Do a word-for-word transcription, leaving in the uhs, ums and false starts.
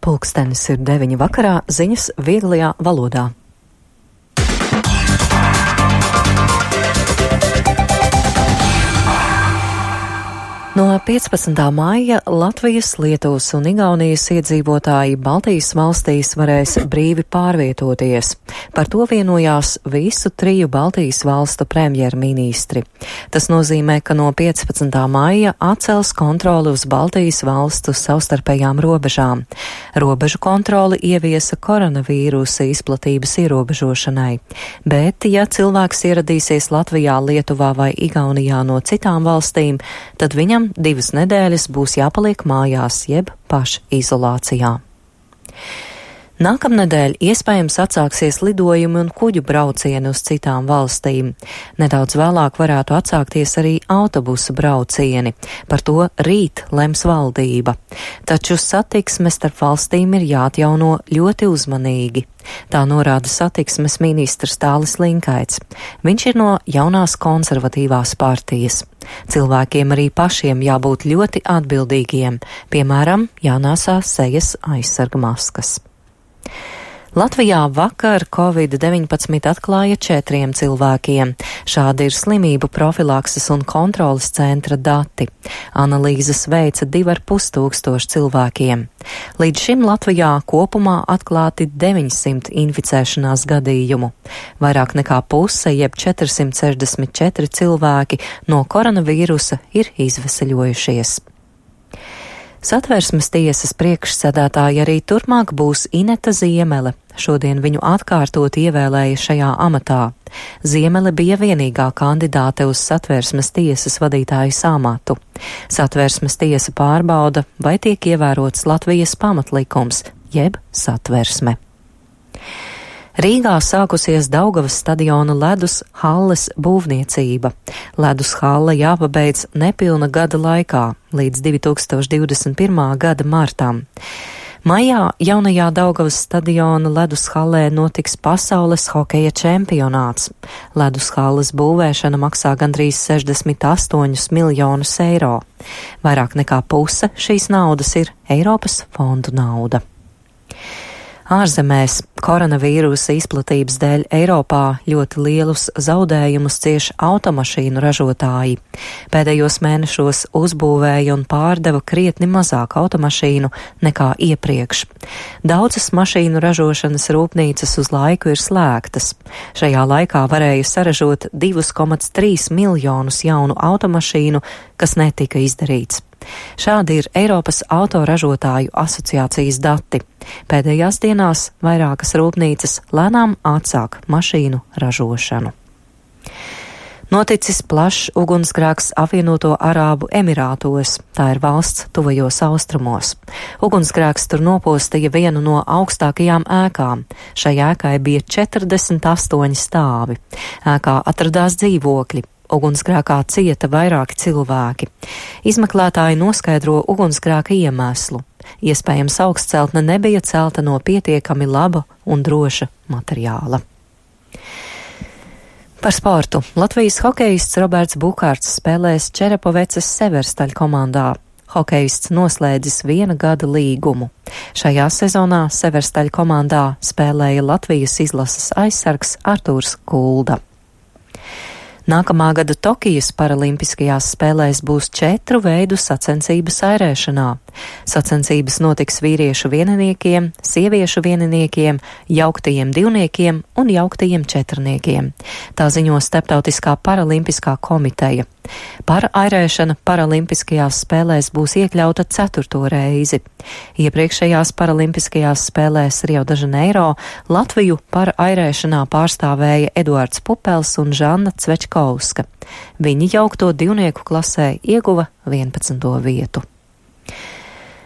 Pulkstenis ir deviņi vakarā, ziņas vieglajā valodā. No piecpadsmitā maija Latvijas, Lietuvas un Igaunijas iedzīvotāji Baltijas valstīs varēs brīvi pārvietoties. Par to vienojās visu triju Baltijas valstu premjerministri. Tas nozīmē, ka no piecpadsmitā maija atcels kontroli uz Baltijas valstu savstarpējām robežām. Robežu kontroli ieviesa koronavīrusa izplatības ierobežošanai. Bet, ja cilvēks ieradīsies Latvijā, Lietuvā vai Igaunijā no citām valstīm, tad viņam divas nedēļas būs jāpaliek mājās, jeb pašizolācijā. Nākamnedēļ iespējams atsāksies lidojumi un kuģu braucieni uz citām valstīm. Nedaudz vēlāk varētu atsākties arī autobusu braucieni. Par to rīt lems valdība. Taču satiksme starp valstīm ir jāatjauno ļoti uzmanīgi. Tā norāda satiksmes ministrs Tālis Linkaits. Viņš ir no jaunās konservatīvās partijas. Cilvēkiem arī pašiem jābūt ļoti atbildīgiem, piemēram, jānāsā sejas aizsarga maskas. Latvijā vakar covid deviņpadsmit atklāja četriem cilvēkiem. Šādi ir slimību profilakses un kontrolas centra dati. Analīzes veica divi ar pus tūkstoši cilvēkiem. Līdz šim Latvijā kopumā atklāti deviņsimt inficēšanās gadījumu. Vairāk nekā puse, jeb četrsimt sešdesmit četri cilvēki no koronavīrusa ir izveseļojušies. Satversmes tiesas priekšsēdētāja arī turpmāk būs Ineta Ziemele. Šodien viņu atkārtot ievēlēja šajā amatā. Ziemele bija vienīgā kandidāte uz Satversmes tiesas vadītājas amatu. Satversmes tiesa pārbauda, vai tiek ievērots Latvijas pamatlikums, jeb satversme. Rīgā sākusies Daugavas stadiona ledus halles būvniecība. Ledus halle jāpabeidz nepilna gada laikā, līdz divi tūkstoši divdesmit pirmā gada martam. Maijā jaunajā Daugavas stadiona ledus hallē notiks pasaules hokeja čempionāts. Ledus halles būvēšana maksā gandrīz sešdesmit astoņus miljonus eiro. Vairāk nekā puse šīs naudas ir Eiropas fondu nauda. Ārzemēs koronavīrusa izplatības dēļ Eiropā ļoti lielus zaudējumus cieš automašīnu ražotāji. Pēdējos mēnešos uzbūvēja un pārdeva krietni mazāk automašīnu nekā iepriekš. Daudzas mašīnu ražošanas rūpnīcas uz laiku ir slēgtas. Šajā laikā varēja saražot divi komats trīs miljonus jaunu automašīnu, kas netika izdarīts. Šādi ir Eiropas autoražotāju asociācijas dati. Pēdējās dienās vairākas rūpnīcas lēnām atsāk mašīnu ražošanu. Noticis plašs ugunsgrēks Apvienoto Arābu Emirātos, tā ir valsts tuvajos austrumos. Ugunsgrēks tur nopostīja vienu no augstākajām ēkām. Šai ēkai bija četrdesmit astoņi stāvi. Ēkā atradās dzīvokļi. Ugunsgrēkā cieta vairāki cilvēki. Izmeklētāji noskaidro ugunsgrēka iemeslu. Iespējams, augstceltne nebija celta no pietiekami laba un droša materiāla. Par sportu. Latvijas hokejists Roberts Bukārts spēlēs Čerepovecas Severstaļ komandā. Hokejists noslēdzis viena gada līgumu. Šajā sezonā Severstaļ komandā spēlēja Latvijas izlases aizsargs Artūrs Kulda. Nākamā gada Tokijas paralimpiskajās spēlēs būs četru veidu sacensības airēšanā. Sacensības notiks vīriešu vieniniekiem, sieviešu vieniniekiem, jauktajiem divniekiem un jauktajiem četrniekiem. Tā ziņo Starptautiskā paralimpiskā komiteja. Parairēšana paralimpiskajās spēlēs būs iekļauta ceturto reizi. Iepriekšējās paralimpiskajās spēlēs Rio de Janeiro Latviju parairēšanā pārstāvēja Eduards Pupels un Žanna Cvečkovska. Viņi jaukto divnieku klasē ieguva vienpadsmito vietu.